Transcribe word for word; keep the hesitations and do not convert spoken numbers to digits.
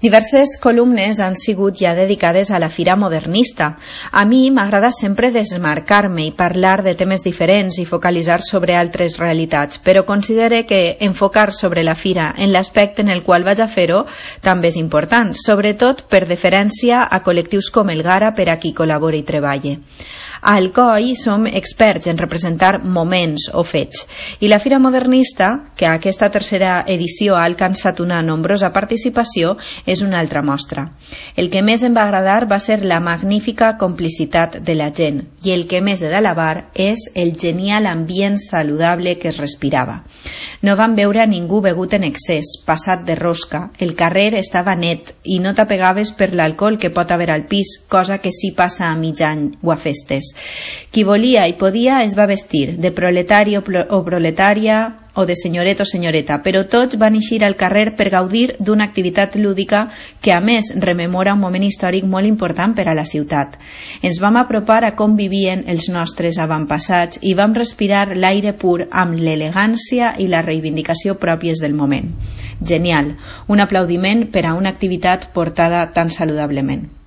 Diverses columnes han sigut ja dedicades a la Fira Modernista. A mi m'agrada sempre desmarcar-me i parlar de temes diferents i focalitzar sobre altres realitats, però considere que enfocar sobre la Fira en l'aspecte en el qual vaig a fer-ho també és important, sobretot per deferència a col·lectius com el Gara per a qui col·labora i treballa. A Alcoi som experts en representar moments o fets, i la Fira Modernista, que a aquesta tercera edició ha alcançat una nombrosa participació, és una altra mostra. El que més em va agradar va ser la magnífica complicitat de la gent, i el que més he d'alabar és el genial ambient saludable que es respirava. No vam veure a ningú begut en excés, passat de rosca, el carrer estava net i no t'apegaves per l'alcohol que pot haver al pis, cosa que sí passa a mig any o a festes. Qui volia i podia es va vestir de proletari o proletària o de senyoret o senyoreta, però tots van eixir al carrer per gaudir d'una activitat lúdica que a més rememora un moment històric molt important per a la ciutat. Ens vam apropar a com vivien els nostres avantpassats i vam respirar l'aire pur amb l'elegància i la reivindicació pròpies del moment. Genial, un aplaudiment per a una activitat portada tan saludablement.